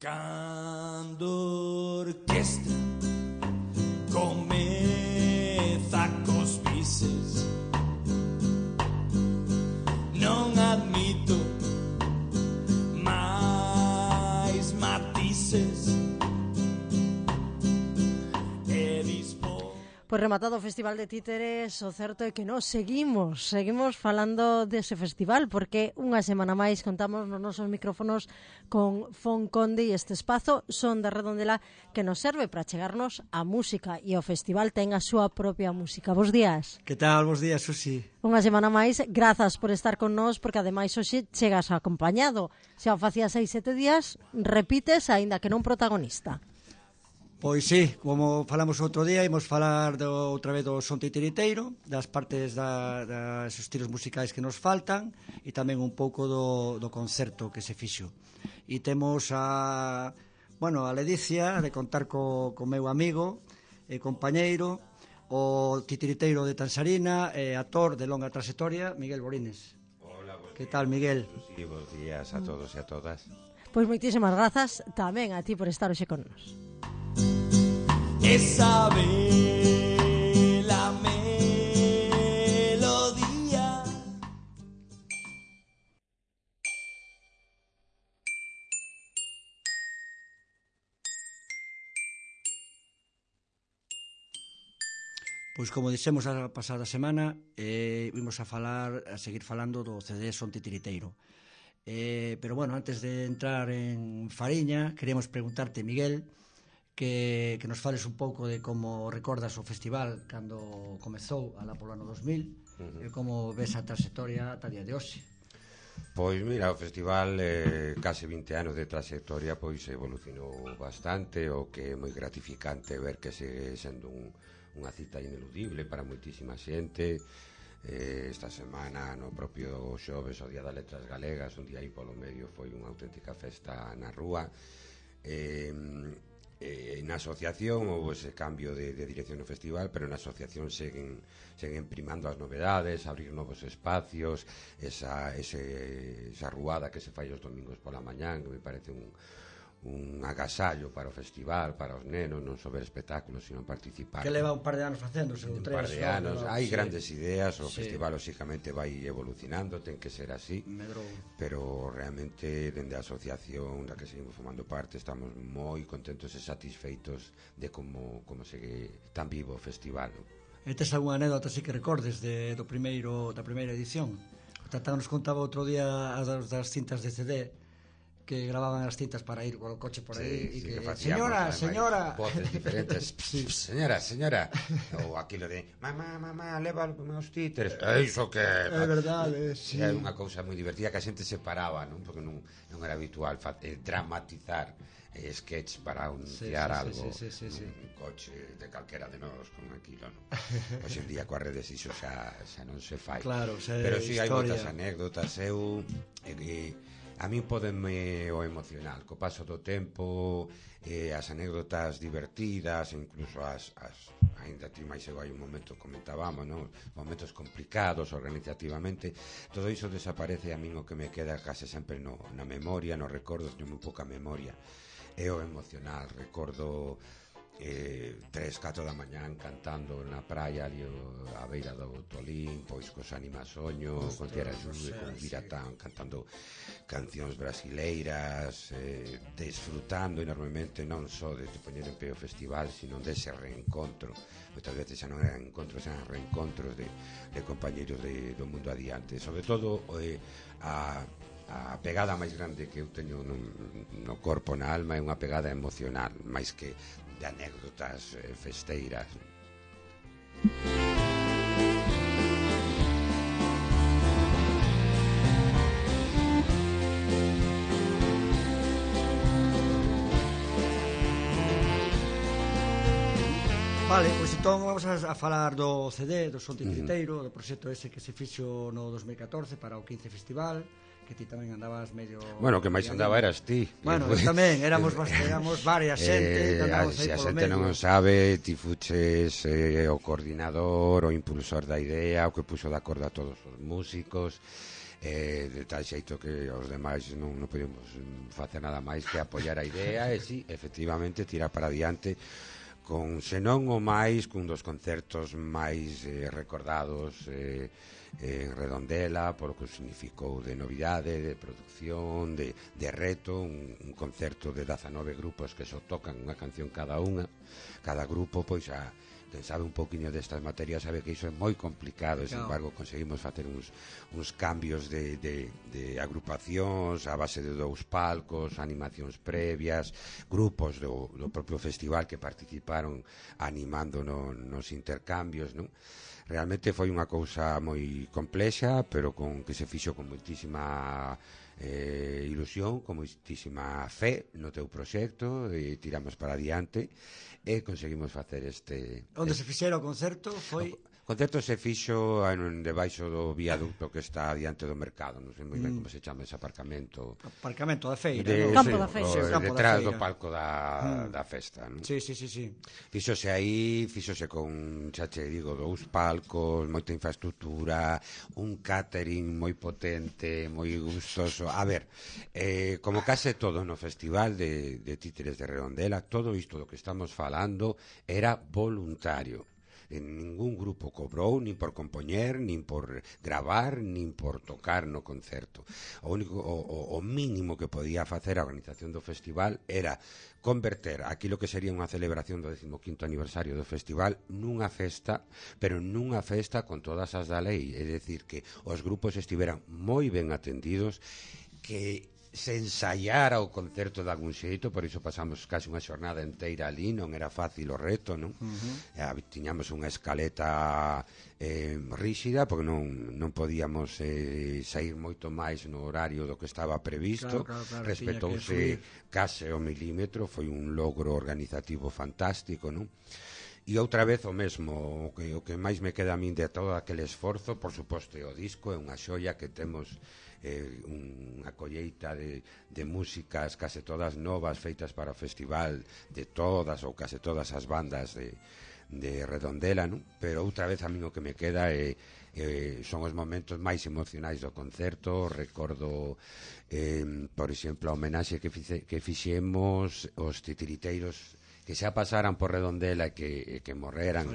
Cando orquestra comeza cos bises, non admito máis matices. Pois rematado o Festival de Títeres, o certo é que nós seguimos falando dese festival, porque unha semana máis contamos nos nosos micrófonos con Fon Conde e este espazo Son de Redondela que nos serve para chegarnos a música, e o festival ten a súa propia música. Bos días. Que tal? Bos días, Susi. Unha semana máis, grazas por estar con nós, porque ademais hoxe chegas acompañado. Xa o facías 6-7 días, repites, aínda que non protagonista. Pois sí, como falamos outro día, imos falar outra vez do son titiriteiro, das partes das estilos musicais que nos faltan e tamén un pouco do concerto que se fixo. E temos a ledicia de contar co meu amigo e compañeiro, o titiriteiro de Tansarina e actor de longa trayectoria, Miguel Borines. Hola, que tal, Miguel? Sí, bons días a todos e a todas. Pois moitísimas grazas tamén a ti por estar hoxe con nos. Esa bela melodía. Pois como dixemos a pasada semana, vimos a seguir falando do CD Son Titiriteiro. Pero bueno, antes de entrar en fariña, queríamos preguntarte, Miguel, que nos fales un pouco de como recordas o festival cando comezou alá polo ano 2000 e como ves a trayectoria ata día de hoxe. Pois mira, o festival case 20 anos de trayectoria pois evolucionou bastante, o que é moi gratificante ver que segue sendo unha cita ineludible para moitísima xente. Esta semana no propio xoves, o Día das Letras Galegas, un día aí polo medio foi unha auténtica festa na rúa. Na asociación houve ese cambio de dirección no festival, pero na asociación seguen primando as novedades, abrir novos espacios, esa ruada que se fai os domingos pola mañán, que me parece un agasallo para o festival, para os nenos, non só ver espectáculos, sino participar. Que leva un par de anos facéndose, un par de anos, hai grandes ideas, o festival lóxicamente vai evolucionando, ten que ser así, pero realmente dende a asociación da que seguimos formando parte estamos moi contentos e satisfeitos de como segue tan vivo o festival. E tes algunha anécdota así que recordes da primeira edición? O Tatán nos contaba outro día das cintas de CD que gravaban as cintas para ir con o coche por aí, e que señora, voces diferentes, señora, ou aquilo de mamá, leva os meus títeres, iso que é verdade, sí. É unha cousa moi divertida que a xente se paraba, non? Porque non era habitual dramatizar sketch para anunciar algo un coche de calquera de nós con aquilo, non? Hoxe en día coas redes iso xa non se fai, claro, pero si hai moitas anécdotas. A min pódenme o emocional co paso do tempo, as anécdotas divertidas, incluso ainda ti máis hai un momento comentábamos, non? Momentos complicados organizativamente, todo iso desaparece. A min o que me queda case sempre na memoria, nos recordos, teño moi pouca memoria, é o emocional. Recordo 3-4 da mañán cantando na praia ali á beira do Tolín, pois cos Animasoño, con Tierra Xude, con Viratán, cantando cancións brasileiras, desfrutando enormemente non só de poñer en pé o festival, sino dese reencontro. Moitas veces xa non eran encontros, eran reencontros de compañeros do mundo adiante. Sobre todo a pegada máis grande que eu teño no corpo, na alma, é unha pegada emocional, máis que de anécdotas festeiras. Vale, pois entón vamos a falar do CD, do Son Titiriteiro, do proxecto ese que se fixo no 2014 para o 15 Festival, que ti tamén andabas medio... Bueno, que máis andaba eras ti. Bueno, tamén, éramos varias xente, se a xente non sabe, ti fuches o coordinador, o impulsor da idea, o que puxo de acordo a todos os músicos, de tal xeito que os demais non podemos facer nada máis que apoiar a idea e si, efectivamente, tirar para adiante con, senón o máis, cun dos concertos máis recordados en Redondela, polo que significou de novidade, de producción, de reto, un concerto de 19 grupos que só tocan unha canción cada grupo, pois quen sabe un poquinho destas materias sabe que iso é moi complicado, e sin embargo conseguimos facer uns cambios de agrupacións a base de 2 palcos, animacións previas, grupos do propio festival que participaron animando nos intercambios, non? Realmente foi unha cousa moi complexa, pero que se fixo con moitísima ilusión, con moitísima fe no teu proxecto, e tiramos para adiante e conseguimos facer Onde se fixera o concerto foi... O concerto se fixo debaixo do viaducto que está diante do mercado, non sei moi ben como se chama ese aparcamento. Aparcamento da feira, Campo da feira. Detrás do palco da festa, non? Sí. Fíxose aí, con, xa che digo, 2 palcos, moita infraestructura, un catering moi potente, moi gustoso. A ver, como case todo no festival de títeres de Redondela, todo isto do que estamos falando era voluntario. Ningún grupo cobrou, nin por compoñer, nin por gravar, nin por tocar no concerto. O mínimo que podía facer a organización do festival era converter aquilo que sería unha celebración do 15º aniversario do festival nunha festa, pero nunha festa con todas as da lei, é dicir, que os grupos estiveran moi ben atendidos, que se ensaiara o concerto de algún xeito, por iso pasamos casi unha xornada inteira ali, non era fácil o reto, non? Tiñamos unha escaleta ríxida, porque non podíamos sair moito máis no horario do que estaba previsto, claro, respetouse case o milímetro, foi un logro organizativo fantástico, non? E outra vez o mesmo, o que máis me queda a min de todo aquele esforzo, por suposto, o disco é unha xoia que temos unha colleita de músicas case todas novas feitas para o festival de todas ou case todas as bandas de Redondela, non? Pero outra vez a min o que me queda son os momentos máis emocionais do concerto. Recordo, por exemplo, a homenaxe que fixemos os titiriteiros que xa pasaran por Redondela e que morreran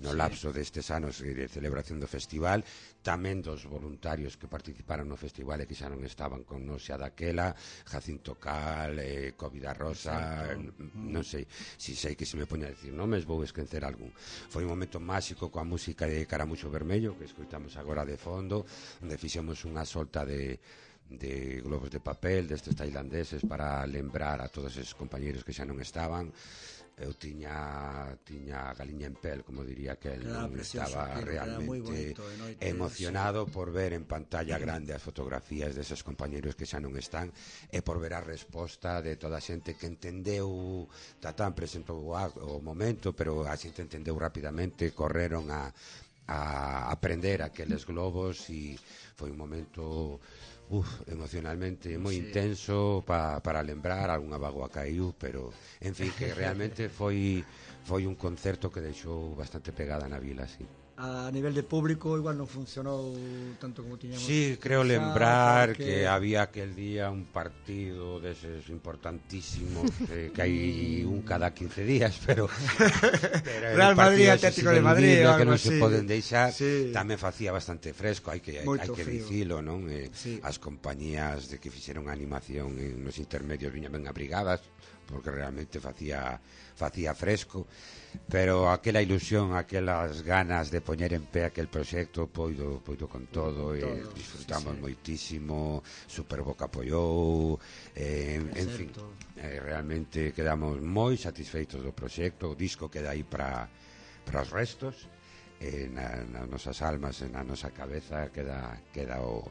no lapso destes anos de celebración do festival, tamén dos voluntarios que participaron no festival e que xa non estaban con nos xa daquela, Jacinto Cal, Covida Rosa, non sei, si sei que se me poña a decir nomes, vou esquecer algún. Foi un momento máxico coa música de Caramuxo Vermello, que escoitamos agora de fondo, onde fixemos unha solta de globos de papel destes tailandeses para lembrar a todos esos compañeros que xa non estaban. Eu tiña a galiña en pel, como diría que el, non estaba realmente emocionado por ver en pantalla grande as fotografías deses compañeros que xa non están e por ver a resposta de toda a xente que entendeu. Tatán presentou o momento, pero a xente entendeu rapidamente, correron a aprender aqueles globos e foi un momento emocionalmente moi intenso para lembrar. Algunha vagoa caiu, pero en fin, que realmente foi un concerto que deixou bastante pegada na vila, sí. A nivel de público igual non funcionou tanto como tiñamos. Sí, creo lembrar que había aquel día un partido deses importantísimos que hai un cada 15 días, pero Real Madrid, Atlético de Madrid, que non se poden deixar, sí. Tamén facía bastante fresco, hai que dicilo, non? Sí. As compañías de que fixeron a animación nos intermedios viñan ben abrigadas, porque realmente facía fresco, pero aquela ilusión, aquelas ganas de poñer en pé aquel proxecto poido con todo, e disfrutamos moitísimo. Superboc apoiou, en fin, realmente quedamos moi satisfeitos do proxecto. O disco queda aí para os restos, nas nosas almas, na nosa cabeza queda o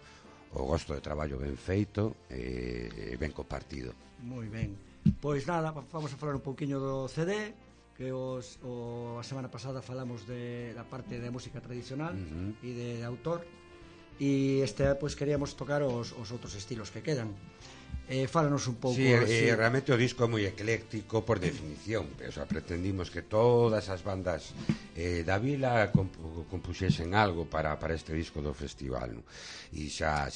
gosto de traballo ben feito e ben compartido. Moi ben. Pois nada, vamos a falar un pouquiño do CD, que a semana pasada falamos da parte de música tradicional e de autor, e pois queríamos tocar os outros estilos que quedan. Fálanos un pouco. Sí, realmente o disco é moi ecléctico por definición, o sea, pretendimos que todas as bandas da vila compuxesen algo para este disco do festival, no? E xa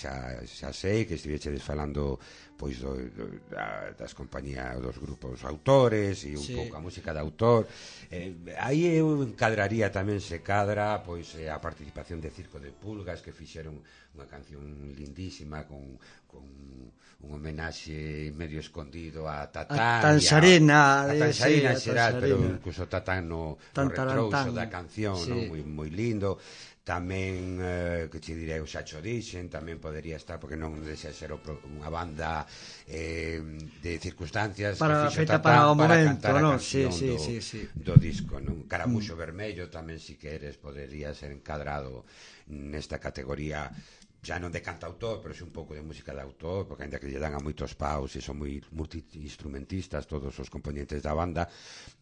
sei que estivechedes falando pois das compañías, dos grupos autores e un pouco a música de autor. Aí eu encadraría tamén, se cadra, pois a participación de Circo de Pulgas, que fixeron unha canción lindísima con un homenaxe medio escondido a Tatán, a Tansarina en xeral, pero incluso Tatán no retrouso da canción, moi lindo. Tamén, que che direi, o Xacho Dixen tamén podería estar, porque non deixa ser unha banda de circunstancias feita para o momento, cantar a non? canción do disco, non? Caramuxo Vermello tamén, si queres, podería ser encadrado nesta categoría, xa non de cantautor, pero é un pouco de música de autor, porque ainda que lle dan a moitos paus e son moi multi-instrumentistas todos os componentes da banda,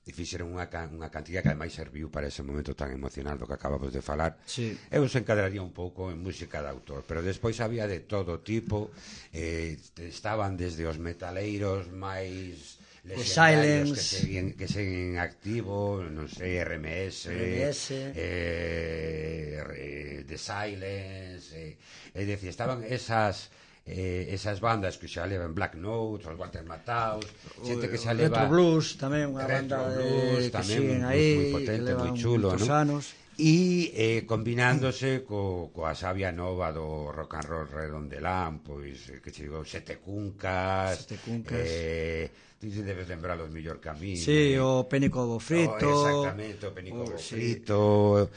e fixeron unha cantidad que ademais serviu para ese momento tan emocional do que acabamos de falar. Eu se encadraría un pouco en música de autor, pero despois había de todo tipo, estaban desde os metaleiros máis legendarios que seguen activo, non sei, RMS, The Silence, é dicir, estaban esas bandas que xa levan Black Notes, os Walter Mataus, xente que xa leva Retro Blues, tamén unha banda que siguen aí, moi potente, moi chulo, non? E combinándose coa sabia nova do rock and roll redondelán, pois que che digo, Sete Cuncas, ti debes lembrar os mellor camiño. Sí, o Pénico do Frito. Exactamente, o Pénico do Frito.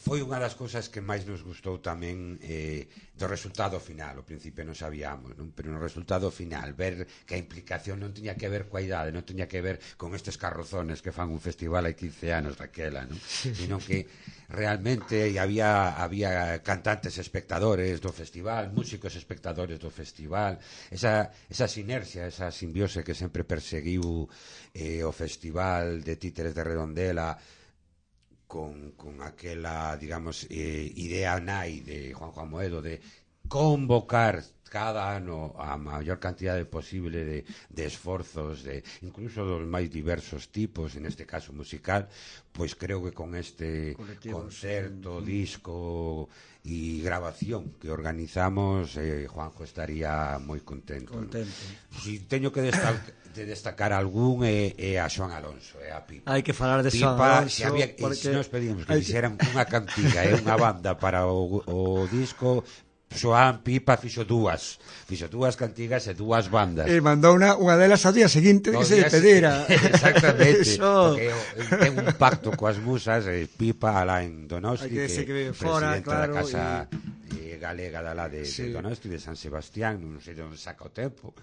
Foi unha das cousas que máis nos gustou tamén do resultado final. Ao principio non sabíamos, non? Pero no resultado final, ver que a implicación non tiña que ver coa idade, non tiña que ver con estes carrozones que fan un festival hai 15 anos daquela, non? Sino que realmente había cantantes espectadores do festival, músicos espectadores do festival, esa sinerxia, esa simbiose que sempre perseguiu o Festival de Títeres de Redondela con aquela, digamos, idea nai de Juan Moedo de convocar cada ano a maior cantidade posible de esforzos, incluso dos máis diversos tipos, en este caso musical, pois creo que con este concerto, disco e grabación que organizamos, Juanjo estaría moi contento. Si teño que destacar algún é a Xoan Alonso, a Pipa. Hai que falar de Xoan Alonso, porque nos pedimos que fixeran unha cantiga e unha banda para o disco. Xoan Pipa fixo dúas cantigas e dúas bandas. E mandou unha delas ao día seguinte que se despedira. Exactamente. Porque ten un pacto coas musas, Pipa alá en Donosti, que é presidente da Casa Galega da lá de Donosti, de San Sebastián, non sei onde saca o tempo.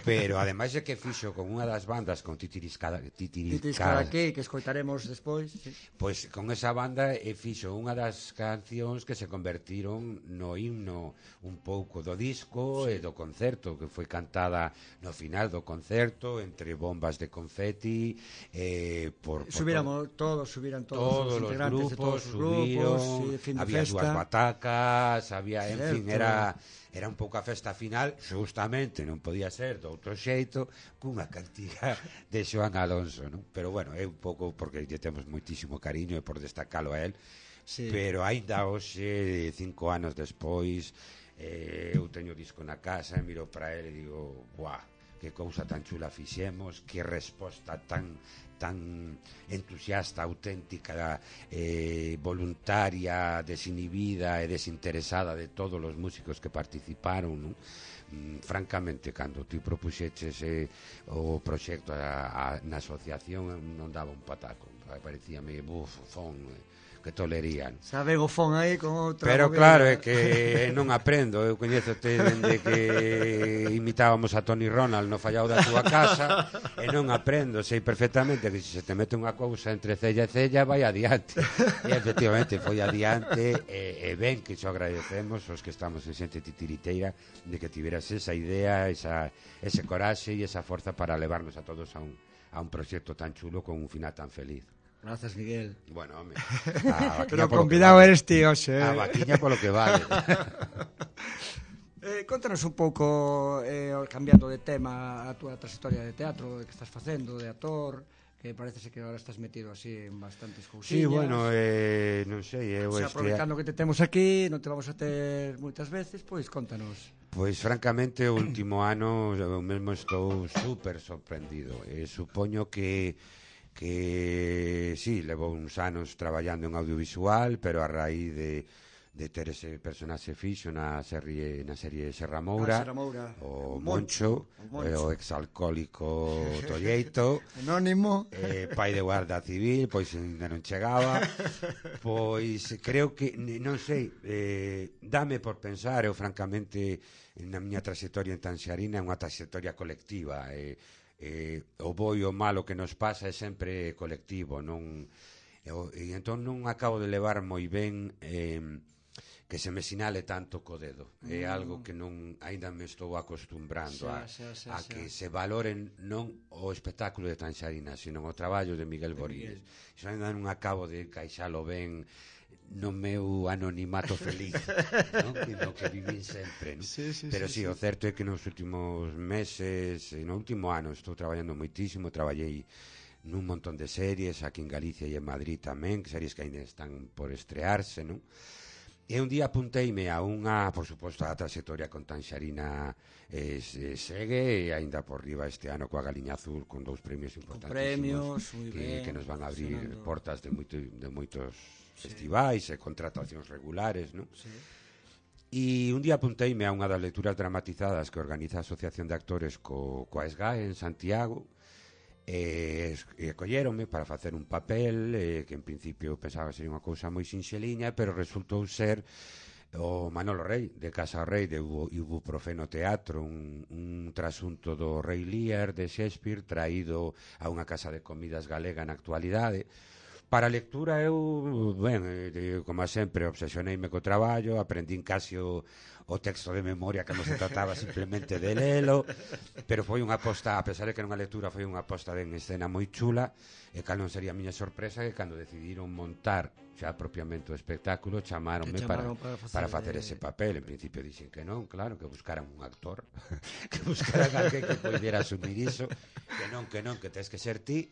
Pero ademais é que fixo con unha das bandas, con Titiriscaraqué, que escoitaremos despois. Pois con esa banda fixo unha das cancións que se convertiron no himno un pouco do disco e do concerto, que foi cantada no final do concerto entre bombas de confeti, subiran todos os integrantes de todos os grupos, había dúas batacas, había, en fin, era un pouco a festa final, justamente non podía ser de outro xeito cunha cantiga de Xoan Alonso, non? Pero bueno, é un pouco porque lle temos moitísimo cariño e por destacalo a él. Sí. Pero aínda hoxe, 5 anos despois, eu teño o disco na casa e miro para ele e digo, guau, que cousa tan chula fixemos, que resposta tan entusiasta, auténtica, voluntaria, desinhibida e desinteresada de todos os músicos que participaron, non? Francamente, cando ti propuxeches o proxecto na asociación, non daba un pataco, parecíame bufón, que tolerían. Saben o fon aí con outra. Pero claro, é que non aprendo. Eu coñézote dende que imitábamos a Tony Ronald no Fallao da túa casa e non aprendo. Sei perfectamente que se te mete unha cousa entre cella e cella vai adiante. E efectivamente foi adiante e ben que xo agradecemos os que estamos en xente titiriteira de que tiveras esa idea, ese coraxe e esa forza para levarnos a todos a un proxecto tan chulo con un final tan feliz. Grazas, Miguel. Bueno, home. Pero convidado eres ti, oxe. A vaquiña polo que vale. Contanos un pouco, cambiando de tema, a túa trayectoria de teatro, que estás facendo, de actor, que parece que agora estás metido así en bastantes cousiñas. Sí, bueno, non sei, eu aproveitando que te temos aquí, non te vamos a ter moitas veces, pois contanos. Pois francamente o último ano eu mesmo estou super sorprendido. Supoño que sí, levo uns anos traballando en audiovisual, pero a raíz de ter ese personaxe fixo na serie Serra Moura, o Moncho, o exalcohólico Tolleito, anónimo, pai de guarda civil, pois ainda non chegaba. Pois creo que, non sei, dame por pensar, eu francamente na miña trayectoria en Tanxarina é unha trayectoria colectiva, o bo e o malo que nos pasa é sempre colectivo, non, e entón non acabo de levar moi ben que se me sinale tanto co dedo. É algo que non aínda me estou acostumbrando a que se valoren non o espectáculo de Tanxarina, sino o traballo de Miguel Boríes. Iso aínda non acabo de encaixalo ben no meu anonimato feliz, no que vivín sempre, no? Pero sí, o certo é que nos últimos meses, no último ano, estou traballando moitísimo, traballei nun montón de series aquí en Galicia e en Madrid tamén, series que ainda están por estrearse, non? E un día apunteime a unha, por suposto, a trayectoria con Tanxarina segue, e aínda por riba este ano coa Galiña Azul, con 2 premios importantísimos que nos van a abrir portas de moitos festivais e contratacións regulares, non? E un día apunteime a unha das lecturas dramatizadas que organiza a Asociación de Actores coa SGAE en Santiago, e colléronme para facer un papel que en principio pensaba que sería unha cousa moi sinxeliña, pero resultou ser o Manolo Rei, de Casa Rei, de Ibuprofeno Teatro, un trasunto do Rei Lear de Shakespeare traído a unha casa de comidas galega na actualidade. Para a lectura eu, como sempre, obsesioneime co traballo, aprendín casi o texto de memoria que non se trataba simplemente de lelo, pero foi unha aposta, a pesar de que era unha lectura, foi unha aposta en escena moi chula, e cal non sería a miña sorpresa que cando decidiron montar xa propiamente o espectáculo chamaronme para facer ese papel. En principio dixen que non, claro, que buscaran un actor que buscaran alguén que poidera asumir iso, que non, que tes que ser ti.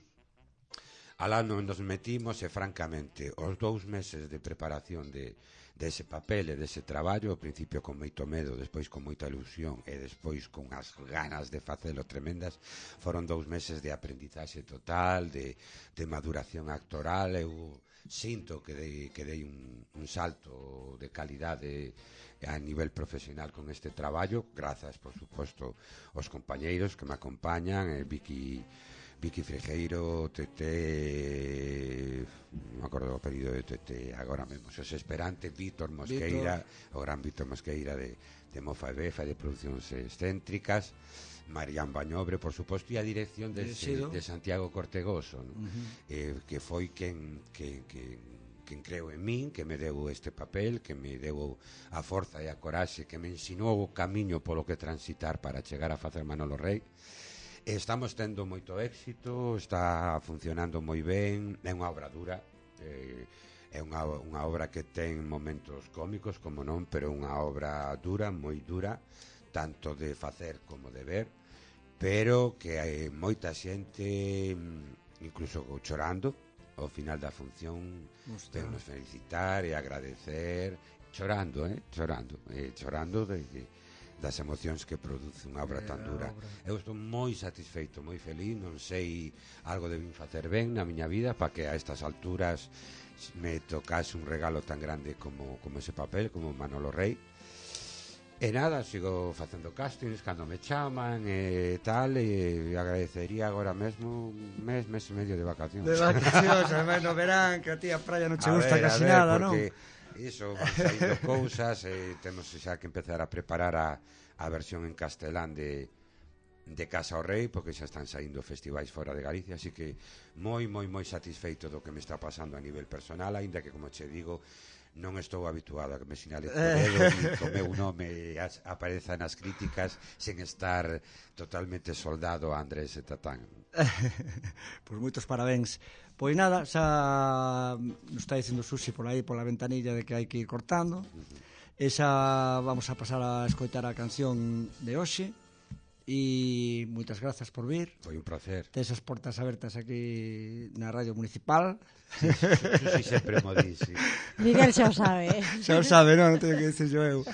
Alá nos metimos e francamente os 2 meses de preparación de ese papel e dese traballo, ao principio con moito medo, despois con moita ilusión e despois con as ganas de facelo tremendas, foron 2 meses de aprendizaxe total, de maduración actoral. Eu sinto que dei un salto de calidade a nivel profesional con este traballo, grazas, por suposto, aos compañeiros que me acompañan, Vicky Frejeiro, Tete, non me acordo o apelido de Tete agora mesmo, Xos Esperante, Víctor Mosqueira, o gran Víctor Mosqueira de Mofa e Befa, de producións excéntricas, Marián Bañobre, por suposto, e a dirección de Santiago Cortegoso, ¿no? Que foi quen creo en min, que me deu este papel, que me deu a forza e a coraxe, que me ensinou o camiño polo que transitar para chegar a facer Manolo Rei. Estamos tendo moito éxito, está funcionando moi ben, é unha obra dura, é unha obra que ten momentos cómicos, como non, pero unha obra dura, moi dura, tanto de facer como de ver, pero que hai moita xente, incluso chorando, ao final da función, nos felicitar e agradecer, chorando das emocións que produce unha obra tan dura. Eu estou moi satisfeito, moi feliz, non sei, algo debín facer ben na miña vida para que a estas alturas me tocase un regalo tan grande como ese papel, como Manolo Rei. E nada, sigo facendo castings cando me chaman e tal, e agradecería agora mesmo un mes e medio de vacacións. De vacacións, además no verán, que a ti a praia non che gusta casi nada, non? Iso, van saindo cousas, temos xa que empezar a preparar a versión en castelán de Casa ao Rei, porque xa están saindo festivais fora de Galicia, así que moi satisfeito do que me está pasando a nivel personal, aínda que, como che digo, non estou habituado a que me sinale o dedo e o meu nome apareza nas críticas sen estar totalmente soldado a Andrés e Tatán. Pois moitos parabéns. Pois nada, xa nos está dicindo Susi por aí pola ventanilla de que hai que ir cortando. Esa vamos a pasar a escoitar a canción de hoxe. E moitas grazas por vir. Foi un placer. Tes as portas abertas aquí na Radio Municipal. Sí, sempre mo di, sí. Miguel xa o sabe. Xa o sabe, non teño que dicer eu.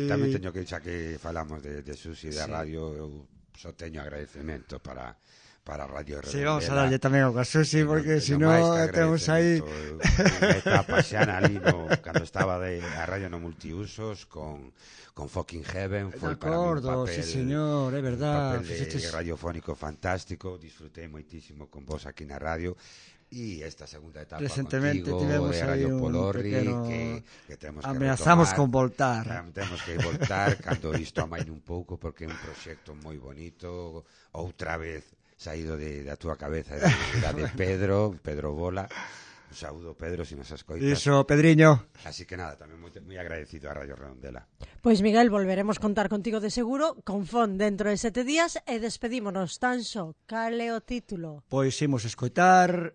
Tamén teño que, xa que falamos de Susi da radio, eu só teño agradecemento para Radio Redondela. Sí, vamos a darlle tamén ao Susi, porque se non temos aí... Unha etapa xa na ali, cando estaba a radio no multiusos, con Fucking Heaven, foi para mí un papel, sí señor, é verdad, un papel de radiofónico fantástico, disfrutei moitísimo con vos aquí na radio. E esta segunda etapa recentemente contigo tivemos de Radio Polorri que temos que ameazamos retomar, con voltar. Temos que voltar cando isto amaine un pouco, porque é un proxecto moi bonito, outra vez saído da túa cabeza, de Pedro Bola. Un saúdo, Pedro, se nos escoitas. Iso, Pedriño. Así que nada, tamén moi agradecido a Radio Redondela. Pois Miguel, volveremos contar contigo de seguro con Fon dentro de 7 días e despedímonos tan só. Cal é o título? Pois imos escoitar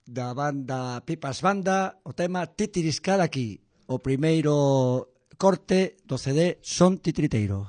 da banda Pipas Banda o tema Titiriscal aquí, o primeiro corte do CD Son Titiriteiro.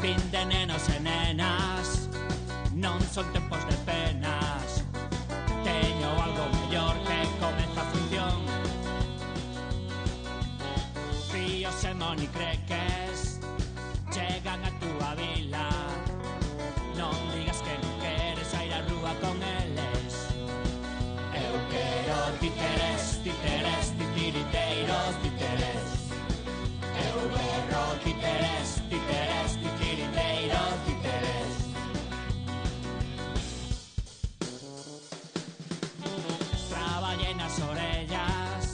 Fin de nenos e nenas, non son tempos de penas. Teño algo mellor que comeza a función. Fíos e monicreques chegan a túa vila. Non digas que non queres ir á rúa con eles. Eu quero títeres, títeres, titiriteiros, títeres. Eu quero títeres, títeres, titiriteiros, títeres. Traballei nas orellas,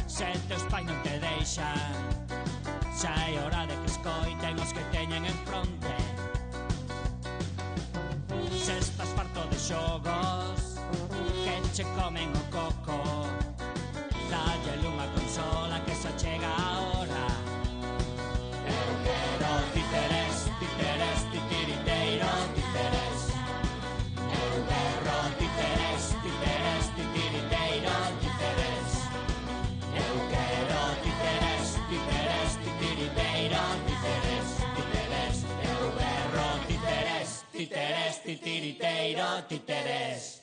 se teus pais non te deixan. Xa é hora de que escoiten os que teñen en fronte. Se estás farto de xogos que che comen o coco, dálle unha consola que xa chega a hora. Eu quero títeres, títeres, titiriteiros, títeres. Eu quero títeres, títeres, titiriteiros, títeres. Eu quero títeres, títeres, titiriteiros, títeres, títeres. Eu quero títeres, títeres, titiriteiros, títeres.